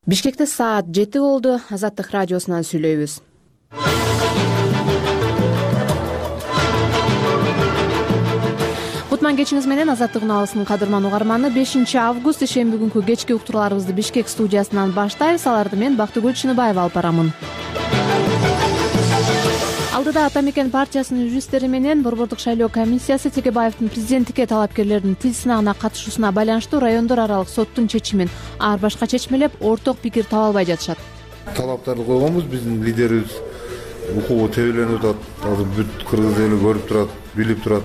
Бишкекте саат 7 болду. Азаттык радиосунан сүйлөйбүз. Кутман кечиңиз менен Азаттык унаалысынын кадырман угарманы. 5 август ишемби күнкү кечки уктурууларыбызды Бишкек студиясынан баштайбыз. Аларды мен Бактыгүл Чыныбаева алып барамын. Алдыда Ата Мекен партиясынын юристтери менен Борбордук шайлоо комиссиясы Текебаевдин президенттикке талапкерлердин тил сынагына катышуусуна байланыштуу райондор аралык соттун чечимин ар башка чечмелеп, орток пикир таба албай жатышат. Талаптарды койгонбуз, биздин лидерибиз укугу тебеленип атат. Азыр бүт кыргыз эли көрүп турат, билип турат.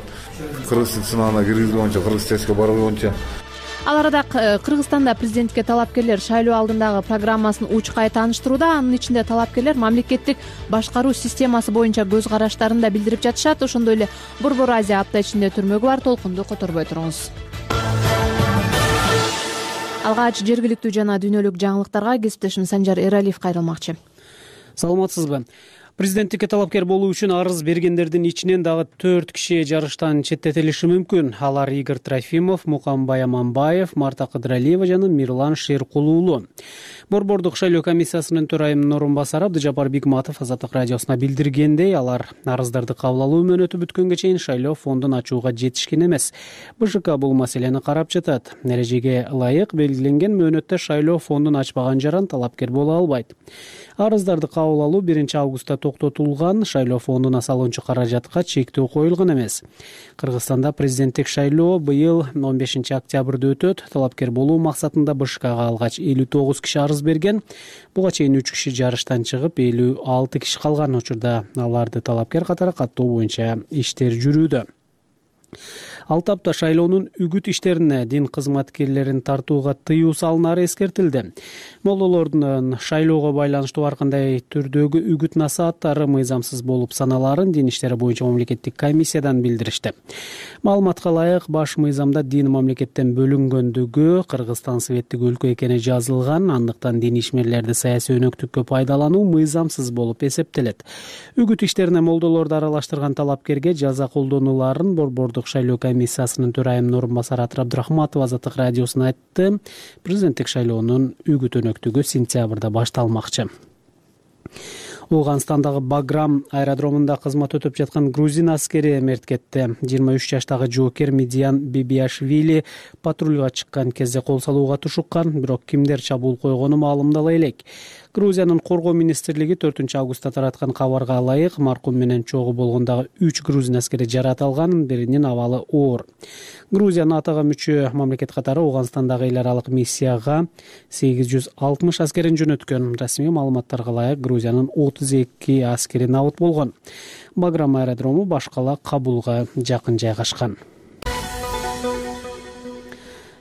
Кыргыз тил сынагына киргизбей боюнча, кыргыз тестке барбай боюнча. Ал арада Кыргызстанда президенттикке талапкерлер шайлоо алдындагы программасын учкай тааныштырууда. Анын ичинде талапкерлер мамлекеттик башкаруу системасы боюнча көз караштарын да билдирип жатышат. Ошондой эле Борбор Азия апта ичинде түрмөгү бар. Толкунду которбой туруңуз. Алгач жергиликтүү жана дүйнөлүк жаңылыктарга кесиптешим Санжар Эралиев кайрылмакчы. Саламатсызбы? Президенттикке талапкер болуу үчүн арыз бергендердин ичинен дагы 4 киши жарыштан четтетилиши мүмкүн. Алар Игорь Трофимов, Мукамбай Аманбаев, Марта Кыдыралиева жана Мирлан Шеркулуулу. Борбордук шайлоо комиссиясынын төрайымынын орун басары Абдыжапар Бигматов Азаттык радиосуна билдиргендей, алар арыздарды кабыл алуу мөөнөтү бүткөнгө чейин шайлоо фондун ачууга жетишкен эмес. БШК бул маселени карап жатат. Эрежеге ылайык белгиленген мөөнөттө шайлоо фондун ачпаган жаран талапкер боло албайт. Арыздарды кабыл алуу 1 августта токтотулган. Шайлоо фондуна салынчу каражатка чектөө коюлган эмес. Кыргызстанда президенттик шайлоо быйыл 15 октябрда өтөт. Талапкер болуу максатында БШКга алгач 59 киши арыз берген. Буга чейин 3 киши жарыштан чыгып, 56 киши калган. Учурда аларды талапкер катары каттоо боюнча иштер жүрүүдө. Ал тапта шайлоонун үгүт иштерине дин кызматкерлерин тартууга тыюу салынары эскертилди. Молдолордун шайлоого байланыштуу ар кандай түрдөгү үгүт насааттары мыйзамсыз болуп саналарын дин иштери боюнча мамлекеттик комиссиядан билдиришти. Маалыматка ылайык, баш мыйзамда дин мамлекеттен бөлүнгөндүгү, Кыргызстан светтик өлкө экени жазылган, андыктан дин ишмерлерди саясий өнөктүккө пайдалануу мыйзамсыз болуп эсептелет. Үгүт иштерине молдолорду аралаштырган талапкерге жаза колдонуларын Борбордук шайлоо комиссиясынын төрайымынын орун басары Атыр Абдрахматова Азаттык радиосуна айтты. Президенттик шайлоонун үгүт өнөктүгү сентябрда башталмакчы. Ооганстандагы Баграм аэродромунда кызмат өтөп жаткан грузин аскери мерт кетти. 23 жаштагы жоокер Медиан Бибиашвили патрульга чыккан кезде кол салууга тушуккан, бирок кимдер чабуул койгону маалымдала элек. Грузиянын коргоо министрлиги 4 августта тараткан кабарга ылайык маркум менен чогуу болгондагы 3 грузин аскери жарат алган, биринин абалы оор. Грузиянын атага мүчө мамлекет катары Ооганстандагы эл аралык миссияга 860 аскерин жөнөткөн. Расмий маалыматтарга ылайык Грузиянын 32 аскери набыт болгон. Баграм аэродрому башкала Кабулга жакын жайгашкан.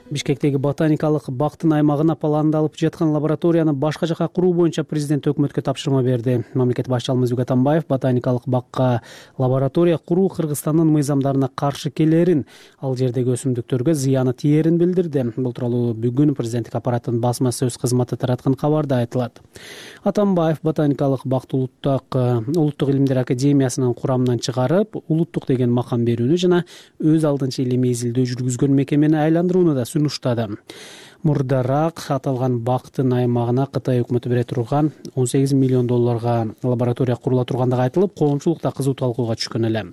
Бишкектеги ботаникалык бактын аймагына пландалып жаткан лабораторияны башка жака куруу боюнча президент өкмөткө тапшырма берди. Мамлекет башчысы Алмазбек Атамбаев ботаникалык бакка лаборатория куруу Кыргызстандын мыйзамдарына каршы келерин, ал жердеги өсүмдүктөргө зыяны тиерин билдирди. Бул тууралуу бүгүн президенттик аппараттын басма сөз кызматы тараткан кабарда айтылат. Атамбаев ботаникалык бакты улуттук илимдер академиясынын курамынан чыгарып, улуттук деген макам берүүнү жана өз алдынча илимий изилдөө жүргүзгөн мекемени айландырууну да сунуштады. Мурдараак аталган бактын аймагына Кытай өкмөтү бере турган 18 миллион долларга лаборатория курула тургандыгы айтылып, коомчулукта кызуу талкууга түшкөн эле.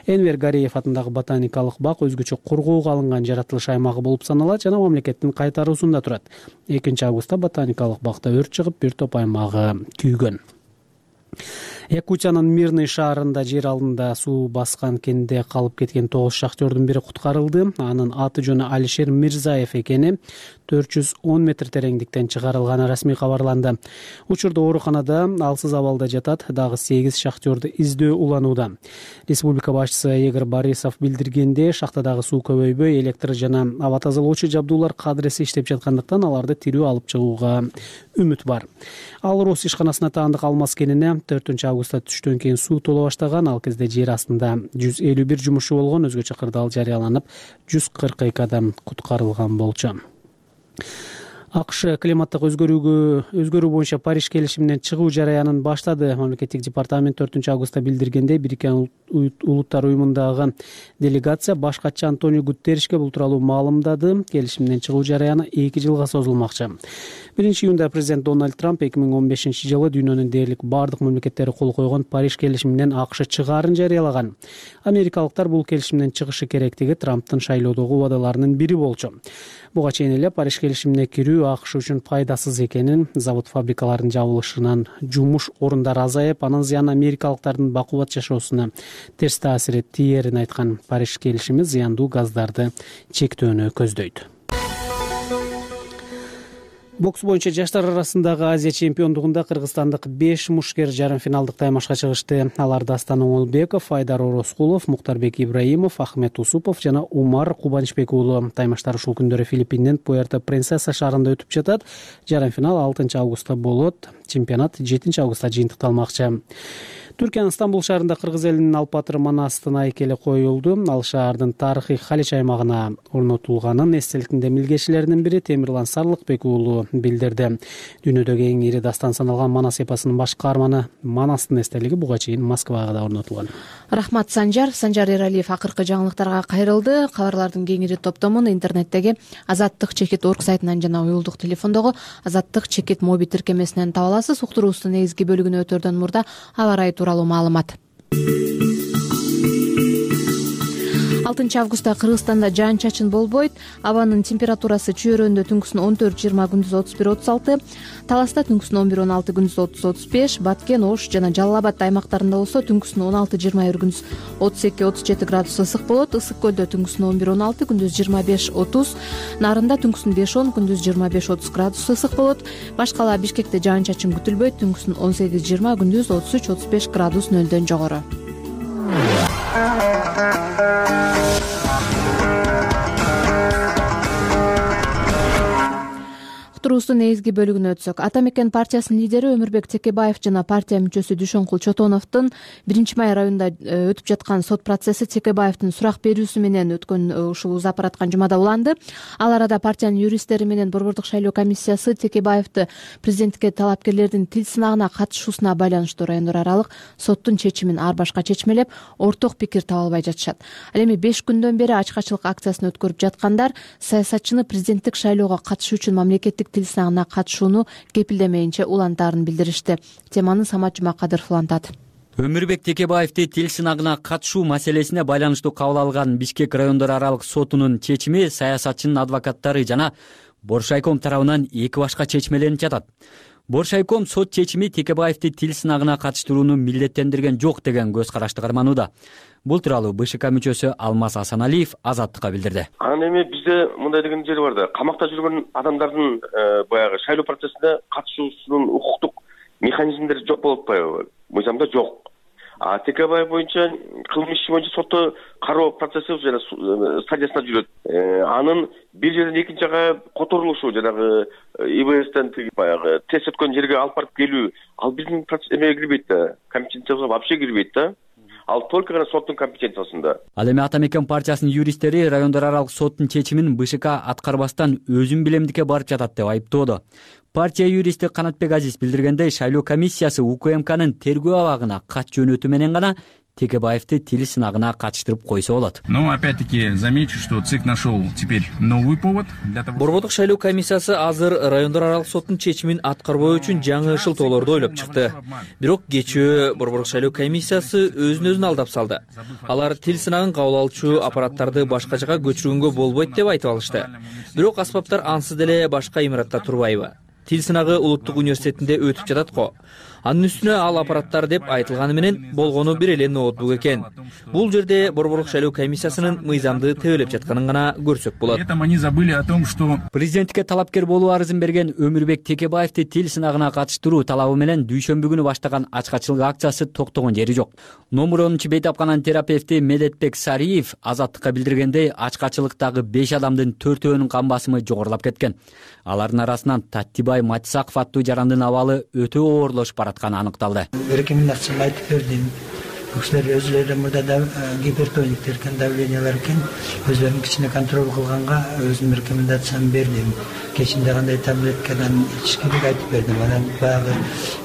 Энвер Гариев атындагы ботаникалык бак өзгөчө коргоого алынган жаратылыш аймагы болуп саналат жана мамлекеттин кайтаруусунда турат. 2 августта ботаникалык бакта өрт чыгып, бир топ аймагы күйгөн. Якутиянын Мирный шаарында жер алдында суу баскан кенде калып кеткен 9 шахтердун бири куткарылды. Анын аты жөнү Алишер Мирзаев экени 410 метр тереңдиктен чыгарылганы расмий кабарланды. Учурда ооруканада алсыз абалда жатат, дагы 8 шахтерди издөө уланууда. Республика башчысы Игорь Борисов билдиргенде, шахтадагы суу көбөйбөй, электр жана аба тазалоочу жабдуулар кадыресе иштеп жаткандыктан аларды тирүү алып чыгууга үмүт бар. Ал Рос ишканасына таандык алмаз кенине 4 августта түштөн кийин суу толо баштаган. Ал кезде жер астында 151 жумушчу болгон, өзгөчө кырдаал жарыяланып, 142 адам куткарылган болчу. АКШ климаттык өзгөрүү боюнча Париж келишиминен чыгуу жараянын баштады. Мамлекеттик департамент 4 августта билдиргендей, Бириккен Улуттар уюмундагы делегация баш катчы Антонио Гутерришке бул тууралуу маалымдады. Келишимден чыгуу жараяны 2 жылга созулмакчы. 1-июнда президент Дональд Трамп 2015-жылы дүйнөнүн дээрлик бардык мамлекеттери кол койгон Париж келишиминен АКШ чыгаарын жарыялаган. Америкалыктар бул келишимден чыгышы керектиги Трамптын шайлоодогу убадаларынын бири болчу. Буга чейин эле Париж келишимине кирүү АКШ үчүн пайдасыз экенин, завод фабрикалардын жабылышынан жумуш орундары азайып, анын зыяны америкалыктардын бакубат жашоосуна терс таасир тиерин айткан Париж келишими зыяндуу газдарды чектөөнү көздөйт. Бокс боюнча жаштар арасындагы Азия чемпиондугунда кыргызстандык 5 мушкер жарым финалдык таймашка чыгышты. Алар Дастан Оңолбеков, Айдар Орозкулов, Муктарбек Ибраимов, Ахмет Усупов жана Умар Кубанычбек уулу. Таймаштар ушул күндөрү Филиппиндин Пуэрто-Принсеса шаарында өтүп жатат. Жарым финал 6 августта болот. Чемпионат 7 августта жыйынтыкталмакчы. Түркиянын Стамбул шаарында кыргыз элинин алпатыры Манастын айкели коюлду. Ал шаардын тарыхый Халич аймагына орнотулганын эстеликтин демилгечилеринин бири Темирлан Сарлыкбек уулу билдирди. Дүйнөдөгү эң ири дастан саналган Манас эпосунун баш каарманы Манастын эстелиги буга чейин Москвага да орнотулган. Рахмат Санжар Эралиев акыркы жаңылыктарга кайрылды. Кабарлардын кеңири топтомун интернеттеги Азаттык.org сайтынан жана уюлдук телефондогу Азаттык моби тиркемесинен таба аласыз. Уктуруубуздун негизги бөлүгүнө өтөрдөн мурда аба ырайы тууралуу маалымат. 6 августта Кыргызстанда жаан чачын болбойт. Абанын температурасы чөйрөндө түнкүсүн 14-20, күндүз 31-36, Таласта түнкүсүн 11-16, күндүз 30-35, Баткен, Ош жана Жалал Абад аймактарында болсо түнкүсүн 16-21, күндүз 32-37 градус ысык болот. Ысык көлдө түнкүсүн 11-16, күндүз 25-30, Нарында түнкүсүн 5-10, күндүз 25-30 градус ысык болот. Башкала Бишкекте жаан чачын күтүлбөйт. Түнкүсүн 18-20, күндүз 33-35 градус нөлдөн жогору. Уктуруубуздун негизги бөлүгүнө өтсөк, Ата Мекен партиясынын лидери Өмүрбек Текебаев жана партия мүчөсү Дүйшөнкул Чотоновдун 1-май районунда өтүп жаткан сот процесси Текебаевдин сурак берүүсү менен өткөн ушул узап бараткан жумада уланды. Ал арада партиянын юристтери менен Борбордук шайлоо комиссиясы Текебаевди президенттикке талапкерлердин тил сынагына катышуусуна байланыштуу райондор аралык соттун чечимин ар башка чечмелеп, орток пикир таба албай жатышат. Ал эми 5 күндөн бери ачкачылык акциясын өткөрүп жаткандар саясатчыны президенттик шайлоого катышуу үчүн мамлекеттик тил сынагына катышууну кепилдемейинче улантаарын билдиришти. Теманы Самат Жумакадыров улантат. Өмүрбек Текебаевди тил сынагына катышуу маселесине байланыштуу кабыл алган Бишкек райондор аралык сотунун чечими саясатчынын адвокаттары жана Боршайком тарабынан 2 башка чечмеленип жатат. Боршайком сот чечими Текебаевди тил сынагына катыштырууну милдеттендирген жок деген көз карашты карманууда. Бул тууралуу БШК мүчөсү Алмаз Асаналиев Азаттыкка билдирди. Анан эми бизде мындай деген жери бар да, камакта жүргөн адамдардын баягы шайлоо процессине катышуусунун укуктук механизмдери жок болуп атпайбы? Мыйзамда жок. А Текебаев боюнча кылмыш иши боюнча сотто кароо процесси жана стадиясында жүрөт. Анын бир жерден экинчи жакка которулушу жанагы ИБСтен баягы тест өткөн жерге алып барып келүү, ал биздин эмеге кирбейт да, компетенциябызга вообще кирбейт да. Ал только гана соттун компетенциясында. Ал эми Ата Мекен партиясынын юристтери райондор аралык соттун чечимин БШК аткарбастан өзүн билемдикке барып жатат деп айыптоодо. Партия юристи Канатбек Азиз билдиргендей, шайлоо комиссиясы УКМКнын тергөө абагына кат жөнөтүү менен гана Текебаевди тил сынагына катыштырып койсо болот. Но опять-таки замечу, что ЦИК нашел теперь новый повод для того. Борбордук шайлоо комиссиясы азыр райондор аралык соттун чечимин аткарбоо үчүн жаңы шылтоолорду ойлоп чыкты. Бирок кечөө Борбордук шайлоо комиссиясы өзүн алдап салды. Алар тил сынагын кабыл алуучу аппараттарды башка жака көчүргөнгө болбойт деп айтып алышты. Бирок аспаптар ансыз деле башка имаратта турбайбы? Тил сынагы улуттук университетинде өтүп жатат го. Анын үстүнө ал аппараттар деп айтылганы менен болгону бир эле ноутбук экен. Бул жерде Борбордук шайлоо комиссиясынын мыйзамды тебелеп жатканын гана көрсөк болот. Они забыли о том, что Президенттикке талапкер болуу арызын берген Өмүрбек Текебаевди тил сынагына катыштыруу талабы менен дүйшөмбү күнү баштаган ачкачылык акциясы токтогон жери жок. Номер 10 бейтапкананын терапевти Медетбек Сариев Азаттыкка билдиргендей, ачкачылыктагы 5 адамдын 4-өөнүн кан басымы жогорулап кеткен. Алардын арасынан Таттибай Матисаков аттуу жарандын абалы өтө оорлошуп баратканы аныкталды. Рекомендацияны айтып бердим. кишилер өзүлөрү мурда гипертониктер экен, давлениялар экен, өзлөрүн кичине контроль кылганга өзүм рекомендацияны бердим. Кечинде кандай таблеткадан ичиш керек айтып бердим. Анан баягы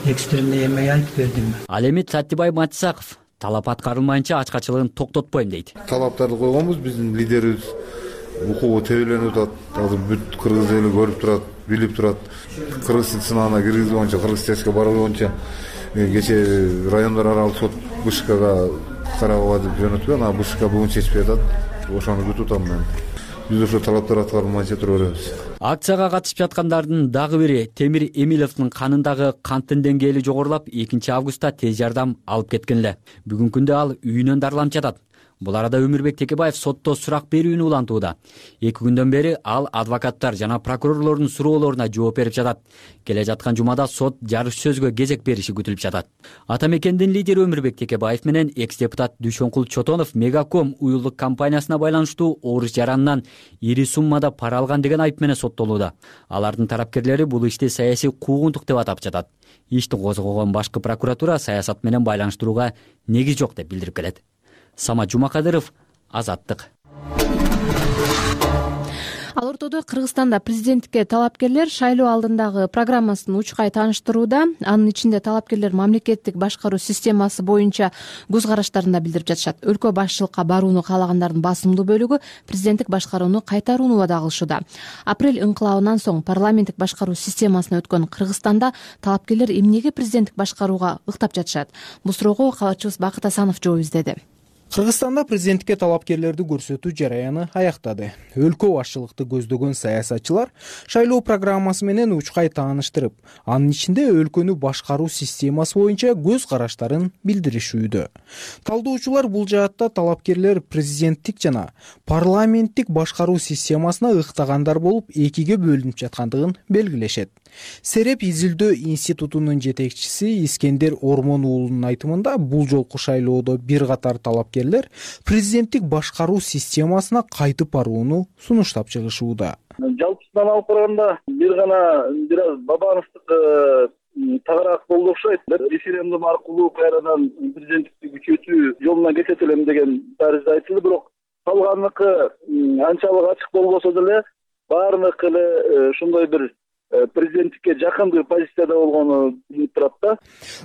экстремный эме айтып бердим. Ал эми Саттыбай Матисаков талап аткарылмайынча ачкачылыгын токтотпойм дейт. Талаптарды койгонбуз, биздин лидерибиз укугу тебеленип атат. Азыр бүт кыргыз эли көрүп турат, билип турат. Кыргыздын сынагына киргизилгенче, кыргыз тестке барылганча кече райондор аралык сот БШКга карабыга деп жөнөткөн, анан БШК бүгүн чечпей атат. Ошону күтүп атам мен. Биз ошо талаптар аткарылмайынча тура беребиз. Акцияга катышып жаткандардын дагы бири Темир Эмиловдун канындагы канттын деңгээли жогорулап, 2-августта тез жардам алып кеткен эле. Бүгүнкү күндө ал үйүнөн дарыланып жатат. Бул арада Өмүрбек Текебаев сотто сурак берүүнү улантууда. 2 күндөн бери ал адвокаттар жана прокурорлордун суроолоруна жооп берип жатат. Келе жаткан жумада сот жарыш сөзгө кезек бериши күтүлүп жатат. Ата мекендин лидери Өмүрбек Текебаев менен экс-депутат Дүйшөнкул Чотонов Мегаком уюлдук компаниясына байланыштуу орус жаранынан ири суммада пара алган деген айып менен соттолууда. Алардын тарапкерлери бул ишти саясий куугунтук деп атап жатат. Ишти козгогон башкы прокуратура саясат менен байланыштырууга негиз жок деп билдирип келет. Самат Жумакадыров, Азаттык. Ал ортодо Кыргызстанда президенттикке талапкерлер шайлоо алдындагы программасын учкай тааныштырууда. Анын ичинде талапкерлер мамлекеттик башкаруу системасы боюнча көз караштарын да билдирип жатышат. Өлкө башчылыкка барууну каалагандардын басымдуу бөлүгү президенттик башкарууну кайтарууну убада кылышууда. Апрель ыңкылабынан соң парламенттик башкаруу системасына өткөн Кыргызстанда талапкерлер эмнеге президенттик башкарууга ыктап жатышат? Бул суроого кабарчыбыз Бакыт Асанов жооп издеди. Кыргызстанда президенттикке талапкерлерди көрсөтүү жараяны аяктады. Өлкө башчылыкты көздөгөн саясатчылар шайлоо программасы менен учкай тааныштырып, анын ичинде өлкөнү башкаруу системасы боюнча көз караштарын билдиришүүдө. Талдоочулар бул жаатта талапкерлер президенттик жана парламенттик башкаруу системасына ыктагандар болуп, экиге бөлүнүп жаткандыгын белгилешет. Сереп изилдөө институтунун жетекчиси Искендер Ормон уулунун айтымында, бул жолку шайлоодо бир катар талапкерлер президенттик башкаруу системасына кайтып барууну сунуштап чыгышууда. Жалпысынан алып караганда бир гана бир аз Бабановдук тагыраак болду окшойт. Референдум аркылуу кайрадан президенттикти күчөтүү жолуна кетет элем деген тарызда айтылды, бирок калганыкы анчалык ачык болбосо деле баарыныкы эле ушундай бир президенттикке жакын позицияда болгону билинип турат да.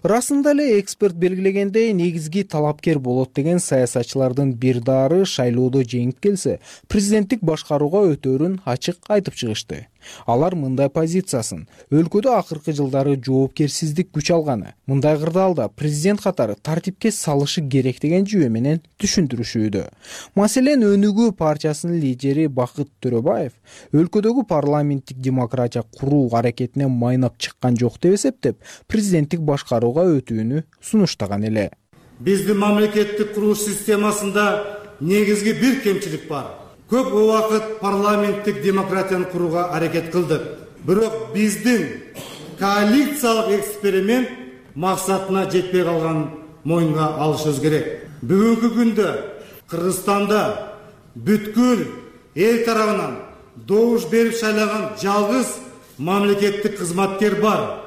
Расында эле эксперт белгилегендей, негизги талапкер болот деген саясатчылардын бир дары шайлоодо жеңип келсе, президенттик башкарууга өтөөрүн ачык айтып чыгышты. Алар мындай позициясын: өлкөдө акыркы жылдары жоопкерсиздик күч алганы, мындай кырдаалда президент катары тартипке салышы керек деген жүйө менен түшүндүрүшүүдө. Маселен, Өнүгүү партиясынын лидери Бакыт Төрөбаев өлкөдөгү парламенттик демократия куруу аракетине майнап чыккан жок деп эсептеп, президенттик башкарууга өтүүнү сунуштаган эле. Биздин мамлекеттик куруу системасында негизги бир кемчилик бар. Көп убакыт парламенттик демократияны курууга аракет кылдык. Бирок биздин коалициялык эксперимент максатына жетпей калганын мойнуна алышыбыз керек. Бүгүнкү күндө Кыргызстанда бүткүл эл тарабынан добуш берип шайлаган жалгыз мамлекеттик кызматкер бар.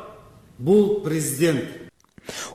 Бул президент.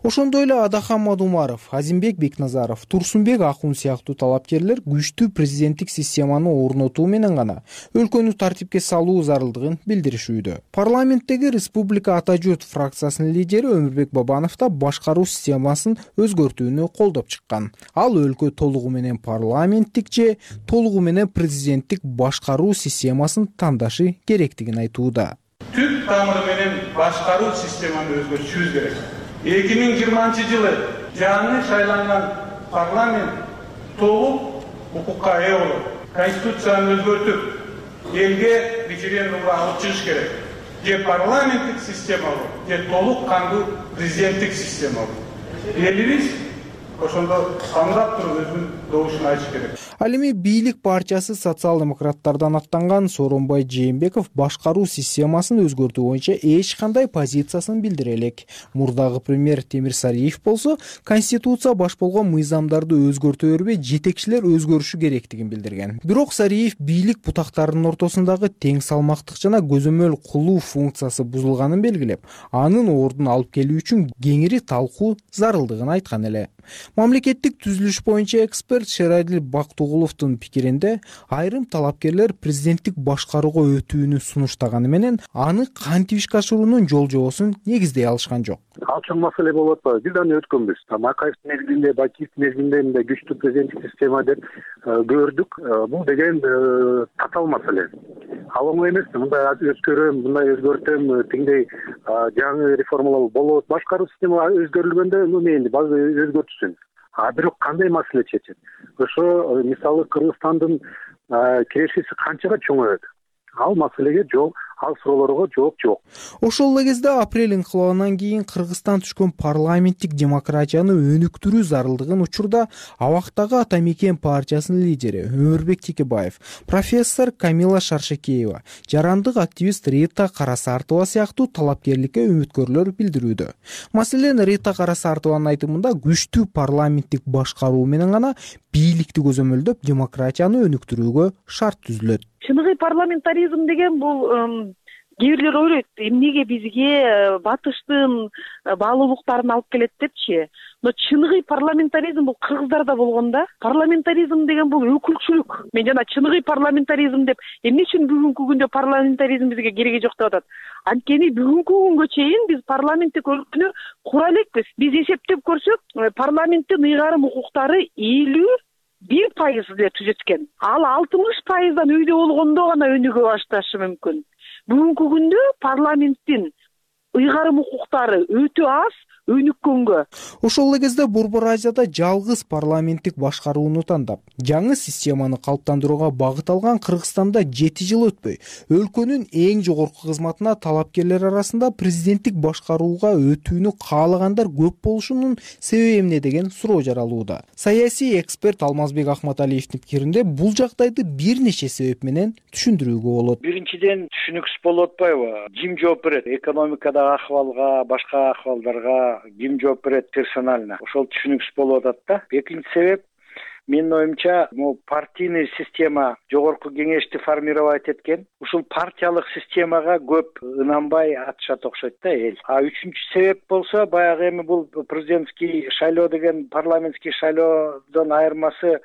Ошондой эле Адахан Мадумаров, Азимбек Бекназаров, Турсунбек Акун сыяктуу талапкерлер күчтүү президенттик системаны орнотуу менен гана өлкөнү тартипке салуу зарылдыгын билдиришүүдө. Парламенттеги Республика Ата журт фракциясынын лидери Өмүрбек Бабанов да башкаруу системасын өзгөртүүнү колдоп чыккан. Ал өлкө толугу менен парламенттик же толугу менен президенттик башкаруу системасын тандашы керектигин айтууда. Түп тамыры менен башкаруу системаны өзгөртүшүбүз керек. 2020-жылы жаңы шайланган парламент толук укукка ээ болуп, конституцияны өзгөртүп, элге референдумга алып чыгыш керек. Же парламенттик система болуп, же толук кандуу президенттик система болуп. Элибиз ошондо тандап туруп өзүнүн добушун айтыш керек. Ал эми бийлик партиясы социал-демократтардан аттанган Сооронбай Жээнбеков башкаруу системасын өзгөртүү боюнча эч кандай позициясын билдире элек. Мурдагы премьер Темир Сариев болсо конституция баш болгон мыйзамдарды өзгөртө бербей жетекчилер өзгөрүшү керектигин билдирген. Бирок Сариев бийлик бутактарынын ортосундагы тең салмактык жана көзөмөл кылуу функциясы бузулганын белгилеп, анын ордун алып келүү үчүн кеңири талкуу зарылдыгын айткан эле. Мамлекеттик түзүлүш боюнча эксперт Шерайдил Бактугуловдун пикиринде, айрым талапкерлер президенттик башкарууга өтүүнү сунуштаганы менен аны кантип ишке ашыруунун жол жобосун негиздей алышкан жок. Ал чоң маселе болуп атпайбы? Бир даны өткөнбүз. Макаевдин мезгилинде, Бакиевдин мезгилинде мындай күчтүү президенттик система деп көрдүк. Бул деген татаал маселе. Ал оңой эмес. Мындай өзгөрөм, мындай өзгөртөм, тиңдей жаңы реформалар болот. Башкаруу система өзгөрүлгөндө мени баары өзгөртүшсүн. Бирок кандай маселе чечет? Ошо мисалы Кыргызстандын кирешеси канчага чоңоет? Ал маселеге жол, ал суроолорго жооп жок. Ошол эле кезде апрель инкылабынан кийин Кыргызстан түшкөн парламенттик демократияны өнүктүрүү зарылдыгын учурда абактагы Ата Мекен партиясынын лидери Өмүрбек Текебаев, профессор Камила Шаршекеева, жарандык активист Рита Карасартова сыяктуу талапкерликке үмүткөрлөр билдирүүдө. Маселен, Рита Карасартованын айтымында күчтүү парламенттик башкаруу менен гана бийликти көзөмөлдөп демократияны өнүктүрүүгө шарт түзүлөт. Чыныгы парламентаризм деген бул кээ бирлер ойлойт, эмнеге бизге батыштын баалуулуктарын алып келет депчи. Но чыныгы парламентаризм бул кыргыздарда болгон да. Парламентаризм деген бул өкүлчүлүк. Мен жана чыныгы парламентаризм деп эмне үчүн бүгүнкү күндө парламентаризм бизге кереги жок деп атат. Анткени бүгүнкү күнгө чейин биз парламенттик өлкөнү кура элекпиз. Биз эсептеп көрсөк, парламенттин ыйгарым укуктары 51% эле түзөткөн. Ал 60%дан үйдө болгондо гана өнүгө башташы мүмкүн. Бүгүнкү күндө парламенттин ыйгарым укуктары өтө аз өнүккөнгө. Ошол эле кезде Борбор Азияда жалгыз парламенттик башкарууну тандап, жаңы системаны калыптандырууга багыт алган Кыргызстанда 7 жыл өтпөй, өлкөнүн эң жогорку кызматына талапкерлер арасында президенттик башкарууга өтүүнү каалагандар көп болушунун себеби эмне деген суроо жаралууда. Саясий эксперт Алмазбек Ахматалиевдин пикиринде, бул жагдайды бир нече себеп менен түшүндүрүүгө болот. Биринчиден, түшүнүксүз болуп атпайбы? Ким жооп берет? Экономикадагы ахвалга, башка ахвалдарга ким жооп берет персонально? Ошол түшүнүксүз болуп атат да. Экинчи себеп, менин оюмча, партийный система жогорку кеңешти формировать эткен. Ушул партиялык системага көп ынанбай атышат окшойт да эл. Үчүнчү себеп болсо, баягы эми бул президентский шайлоо деген парламентский шайлоодон айырмасы,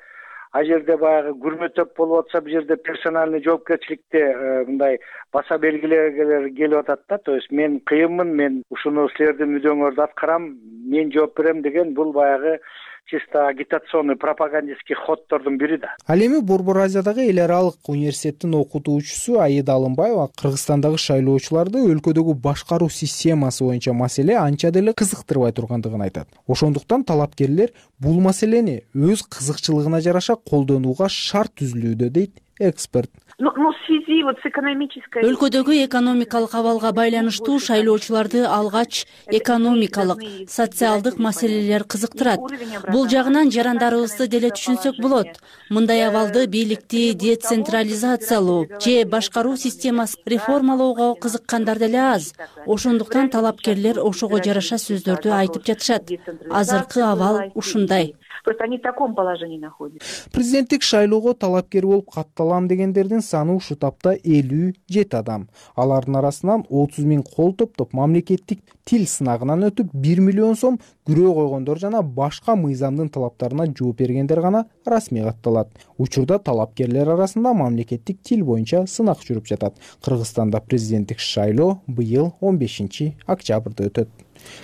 а жерде баягы күрмөтөп болуп атса, бул жерде персональный жоопкерчиликте мындай баса белгилер келип атат да. То есть мен кыйынмын, мен ушуну силердин мүдөөңөрдү аткарам, мен жооп берем деген бул баягы чисто агитационный пропагандистский ходдордун бири да. Ал эми Борбор Азиядагы эл аралык университеттин окутуучусу Аида Алымбаева Кыргызстандагы шайлоочуларды өлкөдөгү башкаруу системасы боюнча маселе анча деле кызыктырбай тургандыгын айтат. Ошондуктан талапкерлер бул маселени өз кызыкчылыгына жараша колдонууга шарт түзүлүүдө, дейт эксперт. Өлкөдөгү экономикалык абалга байланыштуу шайлоочуларды алгач экономикалык, социалдык маселелер кызыктырат. Бул жагынан жарандарыбызды деле түшүнсөк болот. Мындай абалды бийликти децентрализациялоо же башкаруу системасын реформалоого кызыккандар деле аз. Ошондуктан талапкерлер ошого жараша сөздөрдү айтып жатышат. Азыркы абал ушундай. Они в таком положении находятся. Президенттик шайлоого талапкер болуп катталам дегендердин саны ушул тапта 57 адам. Алардын арасынан 30 000 кол топтоп мамлекеттик тил сынагынан өтүп 1 миллион сом күрөө койгондор жана башка мыйзамдын талаптарына жооп бергендер гана расмий катталат. Учурда талапкерлер арасында мамлекеттик тил боюнча сынак жүрүп жатат. Кыргызстанда президенттик шайлоо быйыл 15 октябрда өтөт.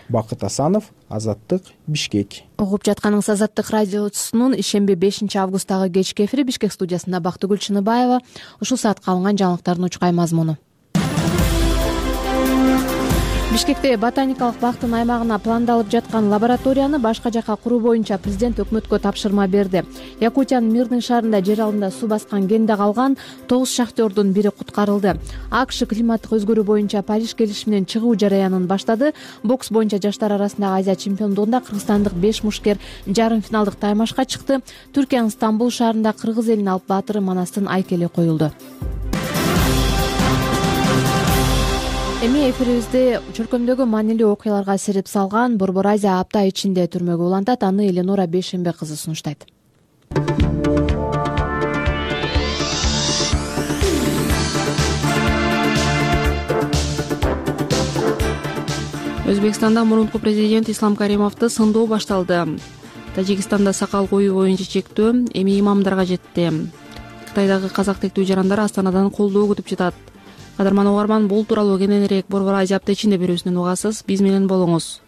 Бакыт Асанов, Азаттык, Бишкек. Угуп жатканыңыз Азаттык радиосунун ишемби 5 августтагы кечки эфири. Бишкек студиясында Бактыгүл Чыныбаева. Ушул саатка алынган жаңылыктардын учкай мазмуну. Бишкекте ботаникалык бактын аймагына пландалып жаткан лабораторияны башка жака куруу боюнча президент өкмөткө тапшырма берди. Якутиянын Мирный шаарында жер алдында суу баскан кенде калган 9 шахтердун бири куткарылды. АКШ климаттык өзгөрүү боюнча Париж келишиминен чыгуу жараянын баштады. Бокс боюнча жаштар арасындагы Азия чемпиондугунда кыргызстандык 5 мушкер жарым финалдык таймашка чыкты. Түркиянын Стамбул шаарында кыргыз элинин алып баатыры Манастын айкели коюлду. Эми эфирибизде чөлкөмдөгү маанилүү окуяларга сереп салган Борбор Азия апта ичинде түрмөгө улантат. Аны Эленора Бейшембе кызы сунуштайт. Өзбекстанда мурунку президент Ислам Каримовду сындоо башталды. Тажикстанда сакал коюу боюнча чектөө эми имамдарга жетти. Кытайдагы казак тектүү жарандар Астанадан колдоо күтүп жатат. Кадарман угарман, бул тууралуу кененирээк Борбор Азия апта ичинде берүүсүнөн угасыз. Биз менен болуңуз.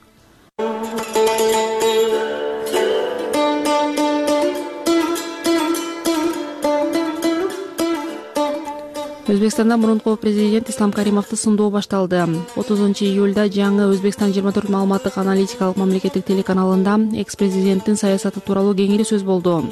Өзбекстанда мурунку президент Ислам Каримовду сындоо башталды. 30-июлда жаңы Өзбекстан 24 маалыматтык аналитикалык мамлекеттик телеканалында экс-президенттин саясаты тууралуу кеңири сөз болду.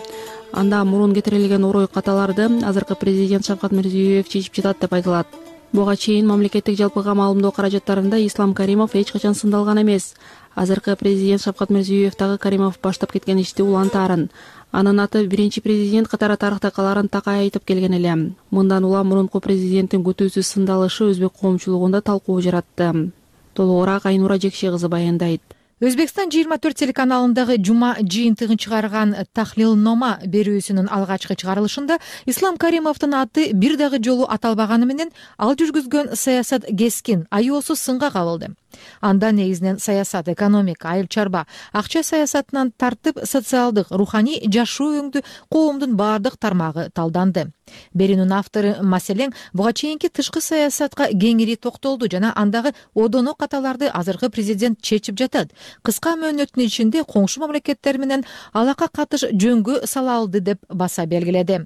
Анда мурун кетирилген орой каталарды азыркы президент Шавкат Мирзиёев чечип жатат деп айтылат. Буга чейин мамлекеттик жалпыга маалымдоо каражаттарында Ислам Каримов эч качан сындалган эмес. Азыркы президент Шавкат Мирзиёев дагы Каримов баштап кеткен ишти улантаарын. Анын аты биринчи президент катары тарыхта каларын такай айтып келген эле. Мындан улам мурунку президенттин күтүүсүз сындалышы өзбек коомчулугунда талкуу жаратты. Толугураак Айнура Жекше кызы баяндайт. Өзбекстан 24 телеканалындагы жума жыйынтыгын чыгарган Тахлилнома берүүсүнүн алгачкы чыгарылышында Ислам Каримовдун аты бир дагы жолу аталбаганы менен ал жүргүзгөн саясат кескин, аюусуз сынга кабылды. Анда негизинен саясат, экономика, айыл чарба, акча саясатынан тартып социалдык, руханий жашоо өңдү коомдун баардык тармагы талданды. Берүүнүн автору маселен буга чейинки тышкы саясатка кеңири токтолду жана андагы одоно каталарды азыркы президент чечип жатат. Кыска мөөнөттүн ичинде коңшу мамлекеттер менен алака катыш жөнгө сала алды деп баса белгиледи.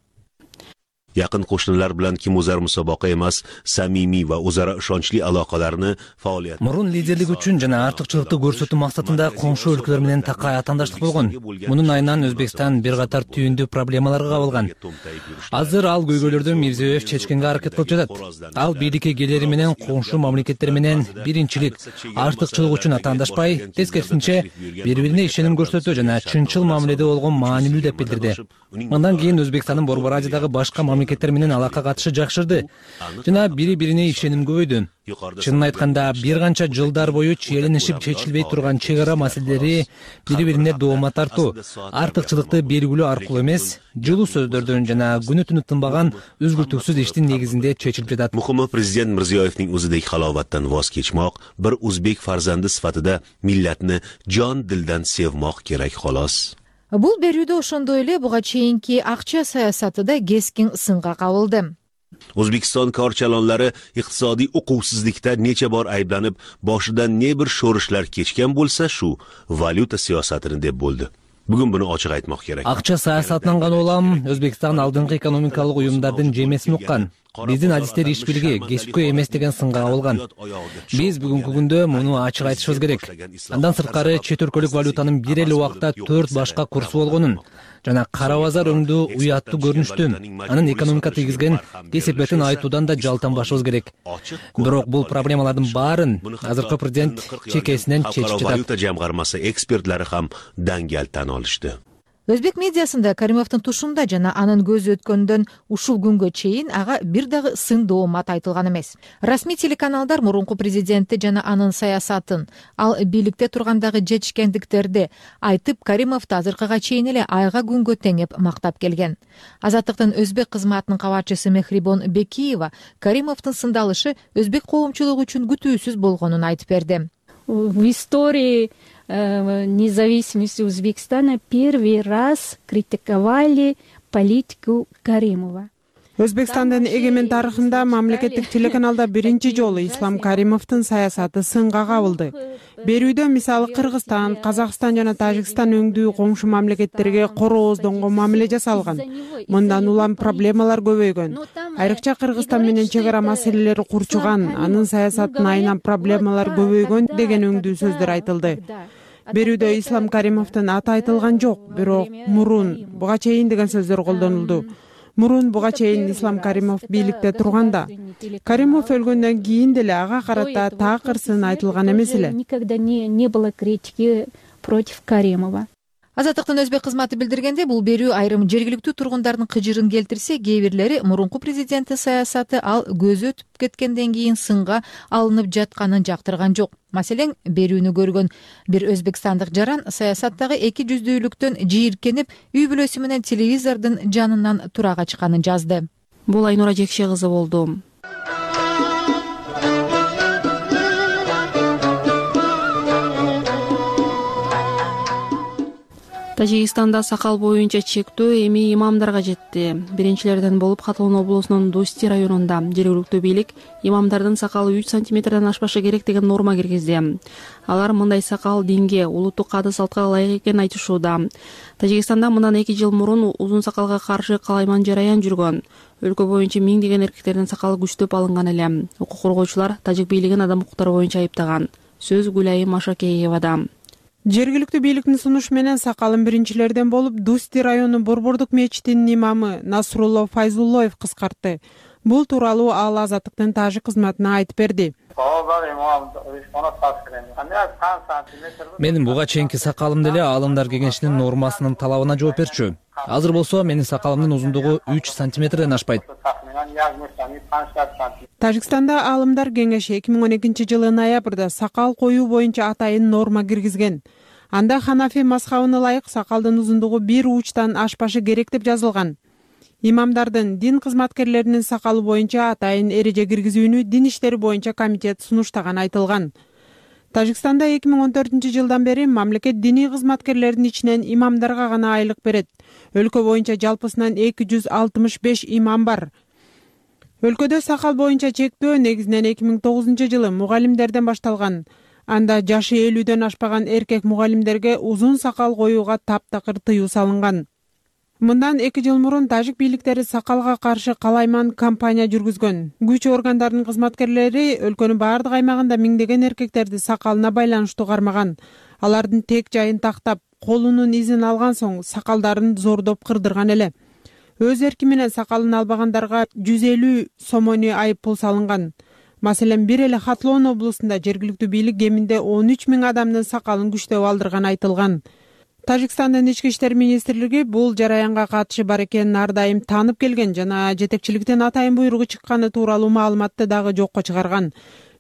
Yaqin qo'shnilar bilan kim o'zar musobaqa emas, samimiy va o'zaro ishonchli aloqalarni faoliyat. Мурун лидерлик үчүн жана артыкчылыкты көрсөтүү максатында коңшу өлкөлөр менен такай атаандаштык болгон. Мунун айынан Өзбекстан бир катар түйүндүү проблемаларга кабылган. Азыр ал көйгөйлөрдү Мирзиёев чечкенге аракет кылып жатат. Ал бийликке келери менен коңшу мамлекеттер менен биринчилик, артыкчылык үчүн атаандашпай, тескерисинче бири-бирине ишеним көрсөтүү жана чынчыл мамиледе болгон маанилүү деп билдирди. Мындан кийин Өзбекстандын Борбор Азиядагы башка мамлекеттер менен алака катышы жакшырды жана бири-бирине ишеним көбөйдү. Чынын айтканда, бир канча жылдар бою чиеленишип чечилбей турган чек ара маселелери бири-бирине доомат тартуу, артыкчылыкты белгилөө аркылуу эмес, жылуу сөздөрдөн жана күнү-түнү тынбаган үзгүлтүксүз иштин негизинде чечилип жатат. Muhimi prezident Mirziyoyevning o'zidagi halovatdan voz kechmoq, bir o'zbek farzandi sifatida millatni jon dildan sevmoq kerak xolos. Бул берүүдө ошондой эле буга чейинки акча саясаты да кескин сынга кабылды. O'zbekiston korchalonlari iqtisodiy uquvsizlikda necha bor ayblanib, boshidan ne bir sho'rishlar kechgan bo'lsa, shu valyuta siyosatini deb bo'ldi. Bugun buni ochiq aytmoq kerak. Акча саясатынан гана улам Өзбекстан алдыңкы экономикалык уюмдардын жемесин уккан. Биздин адистер иш билги кесипкөй эмес деген сынга кабылган. Биз бүгүнкү күндө муну ачык айтышыбыз керек. Андан сырткары чет өлкөлүк валютанын бир эле убакта 4 башка курсу болгонун жана кара базар өңдүү уяттуу көрүнүштү, анын экономика тийгизген кесепетин айтуудан да жалтанбашыбыз керек. Бирок бул проблемалардын баарын азыркы президент чекесинен чечип жатат. Valyuta jamg'armasi ekspertlari ham dangal tan olishdi. Өзбек медиасында Каримовдун тушунда жана анын көзү өткөндөн ушул күнгө чейин ага бир дагы сын доомат айтылган эмес. Расмий телеканалдар мурунку президентти жана анын саясатын, ал бийликте тургандагы жетишкендиктерди айтып, Каримовду азыркыга чейин эле айга күнгө теңеп мактап келген. Азаттыктын өзбек кызматынын кабарчысы Мехрибон Бекиева Каримовдун сындалышы өзбек коомчулугу үчүн күтүүсүз болгонун айтып берди. В истории независимости Узбекистана первый раз критиковали политику Каримова. Өзбекстандын эгемен тарыхында мамлекеттик телеканалда биринчи жолу Ислам Каримовдун саясаты сынга кабылды. Берүүдө мисалы Кыргызстан, Казакстан жана Тажикстан өңдүү коңшу мамлекеттерге корооздонгон мамиле жасалган. Мындан улам проблемалар көбөйгөн. Айрыкча Кыргызстан менен чек ара маселелери курчуган, анын саясатын айынан проблемалар көбөйгөн деген өңдүү сөздөр айтылды. Берүүдө Ислам Каримовдун аты айтылган жок, бирок мурун, буга чейин деген сөздөр колдонулду. Мурун буга чейин Ислам Каримов бийликте турганда, Каримов өлгөндөн кийин деле ага карата такыр сын айтылган эмес эле. Никогда не было критики против Каримова. Азаттыктын өзбек кызматы билдиргенде, бул берүү айрым жергиликтүү тургундардын кыжырын келтирсе, кээ бирлери мурунку президенттин саясаты ал көзү өтүп кеткенден кийин сынга алынып жатканын жактырган жок. Маселен, берүүнү көргөн бир өзбекстандык жаран саясаттагы эки жүздүүлүктөн жийиркенип, үй бүлөсү менен телевизордун жанынан тура качканын жазды. Бул Айнура Жекше кызы болду. Тажикстанда сакал боюнча чектөө эми имамдарга жетти. Биринчилерден болуп Хатлон облусунун Дусти районунда жергиликтүү бийлик имамдардын сакалы 3 сантиметрден ашпашы керек деген норма киргизди. Алар мындай сакал динге, улуттук каады салтка ылайык экенин айтышууда. Тажикстанда мындан 2 жыл мурун узун сакалга каршы калайман жараян жүргөн. Өлкө боюнча миңдеген эркектердин сакалы күчтөп алынган эле. Укук коргоочулар тажик бийлигин адам укуктары боюнча айыптаган. Сөз Гүлайым Машакеевада. Жергиликтүү бийликтин сунушу менен сакалын биринчилерден болуп Дусти району Борбордук мечитинин имамы Насрулло Файзуллоев кыскартты. Бул тууралуу ал Азаттыктын тажик кызматына айтып берди. Менин буга чейинки сакалым деле Аалымдар кеңешинин нормасынын талабына жооп берчү. Азыр болсо менин сакалымдын узундугу 3 сантиметрден ашпайт. Тажикстанда Аалымдар кеңеши 2012-жылы ноябрда сакал коюу боюнча атайын норма киргизген. Анда Ханафи мазхабына ылайык сакалдын узундугу 1 учтан ашпашы керек деп жазылган. Имамдардын, дин кызматкерлеринин сакалы боюнча атайын эреже киргизүүнү дин иштери боюнча комитет сунуштаган айтылган. Тажикстанда 2014-жылдан бери мамлекет диний кызматкерлердин ичинен имамдарга гана айлык берет. Өлкө боюнча жалпысынан 265 имам бар. Өлкөдө сакал боюнча чектөө негизинен 2009-жылы мугалимдерден башталган. Анда жашы 50дөн ашпаган эркек мугалимдерге узун сакал коюуга таптакыр тыюу салынган. Мындан 2 жыл мурун тажик бийликтери сакалга каршы калайман кампания жүргүзгөн. Күч органдарынын кызматкерлери өлкөнүн баардык аймагында миңдеген эркектерди сакалына байланыштуу кармаган. Алардын тек жайын тактап, колунун изин алган соң сакалдарын зордоп кырдырган эле. Өз эрки менен сакалын албагандарга 150 сомони айып пул салынган. Маселен, бир эле Хатлон облусунда жергиликтүү бийлик кеминде 13 000 адамдын сакалын күчтөп алдырган айтылган. Тажикстандын ички иштер министрлиги бул жараянга катышы бар экенин ар дайым таанып келген жана жетекчиликтен атайын буйругу чыкканы тууралуу маалыматты дагы жокко чыгарган.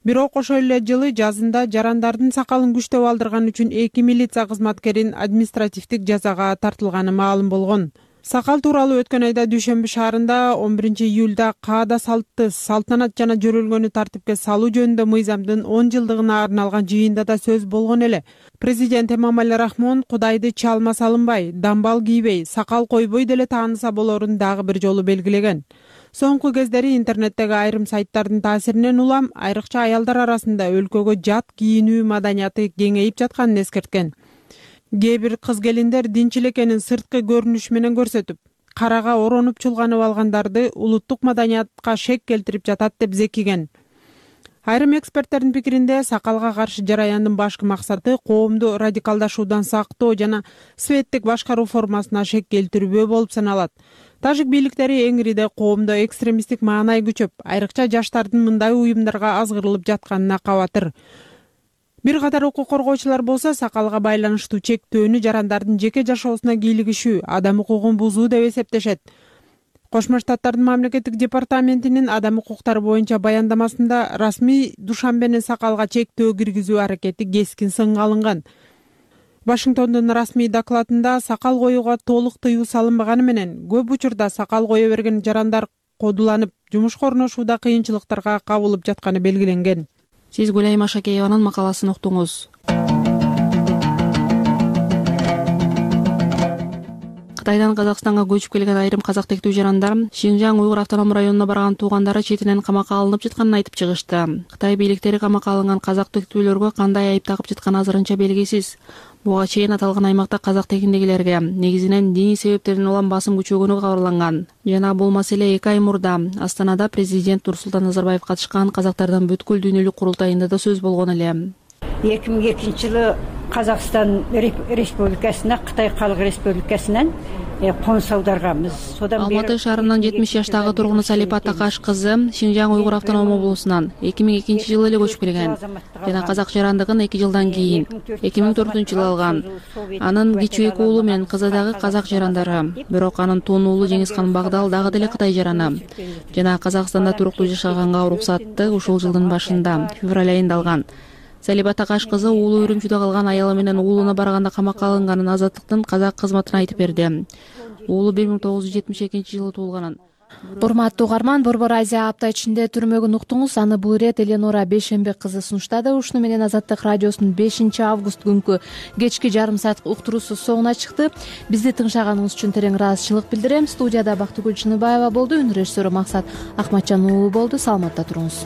Бирок ошол эле жылы жазында жарандардын сакалын күчтөп алдырган үчүн 2 милиция кызматкерин административдик жазага тартылганы маалым болгон. Сакал тууралуу өткөн айда Дүйшөмбү шаарында 11-июлда каада салты, салтанат жана жөрөлгөнү тартипке салуу жөнүндө мыйзамдын 10 жылдыгына арналган жыйында да сөз болгон эле. Президент Эмомали Рахмон Кудайды чалма салынбай, дамбал кийбей, сакал койбой деле тааныса болорун дагы бир жолу белгилеген. Соңку кездери интернеттеги айрым сайттардын таасиринен улам айрыкча аялдар арасында өлкөгө жат кийинүү маданияты кеңейип жатканын эскерткен. Кээ бир кыз келиндер динчил экенин сырткы көрүнүш менен көрсөтүп, карага оронуп чулганып алгандарды улуттук маданиятка шек келтирип жатат деп зекиген. Айрым эксперттердин пикиринде сакалга каршы жараяндын башкы максаты коомду радикалдашуудан сактоо жана светтик башкаруу формасына шек келтирүү болуп саналат. Тажик бийликтери эңириде коомдо экстремисттик маанай күчөп, айрыкча жаштардын мындай уюмдарга азгырылып жатканына кабатыр. Бир катар укук коргоочулар болсо сакалга байланыштуу чектөөнү жарандардын жеке жашоосуна кийлигишүү, адам укугун бузуу деп эсептешет. Кошмо Штаттардын мамлекеттик департаментинин адам укуктары боюнча баяндамасында расмий Душанбенин сакалга чектөө киргизүү аракети кескин сынга алынган. Вашингтондун расмий докладында сакал коюуга толук тыюу салынбаганы менен көп учурда сакал кое берген жарандар кодуланып, жумушка орношууда кыйынчылыктарга кабылып жатканы белгиленген. Сиз Гүлайым Ашакееванын макаласын уктуңуз. Кытайдан Казакстанга көчүп келген айрым казак тектүү жарандар Шинжаң Уйгур автономдук районуна барган туугандары четинен камакка алынып жатканын айтып чыгышты. Кытай бийликтери камакка алынган казак тектүүлөргө кандай айып тагып жатканы азырынча белгисиз. Буга чейин аталган аймакта казак тегиндегилерге негизинен диний себептерден улам басым күчөгөнү кабарланган. Жана бул маселе 2 ай мурда Астанада президент Нурсултан Назарбаев катышкан казактардын бүткүл дүйнөлүк курултайында да сөз болгон эле. 2002 жылы Казакстан Республикасына Кытай Калык Республикасынан конус аударганбыз. Алматы шаарынын 70 жаштагы тургуну Салипа Такаш кызы Шинжаң Уйгур автономдук облусунан 2002 жылы эле көчүп келген жана казак жарандыгын 2 жылдан кийин 2004 алган. Анын кичүү 2 уулу менен кызы дагы казак жарандары. Бирок анын тун уулу Жеңизхан Багдал дагы деле Кытай жараны. Жана Казакстанда туруктуу жашаганга уруксатты ушул жылдын башында февраль айында алган. Салипа Такаш кызы уулу Үрүмчүдө калган аялы менен уулуна барганда камакка алынганын Азаттыктын казак кызматына айтып берди. Уулу 1972 жылы туулганын. Урматтуу угарман, Борбор Азия апта ичинде түрмөгүн уктуңуз. Аны бул ирет Эленора Бейшембек кызы сунуштады. Ушуну менен Азаттык радиосунун 5 август күнкү кечки жарым саат уктуруусу соңуна чыкты. Бизди тыңшаганыңыз үчүн терең ыраазычылык билдирем. Студияда Бактыгүл Чыныбаева болду, үн режиссеру Максат Акматжан уулу болду. Саламатта туруңуз.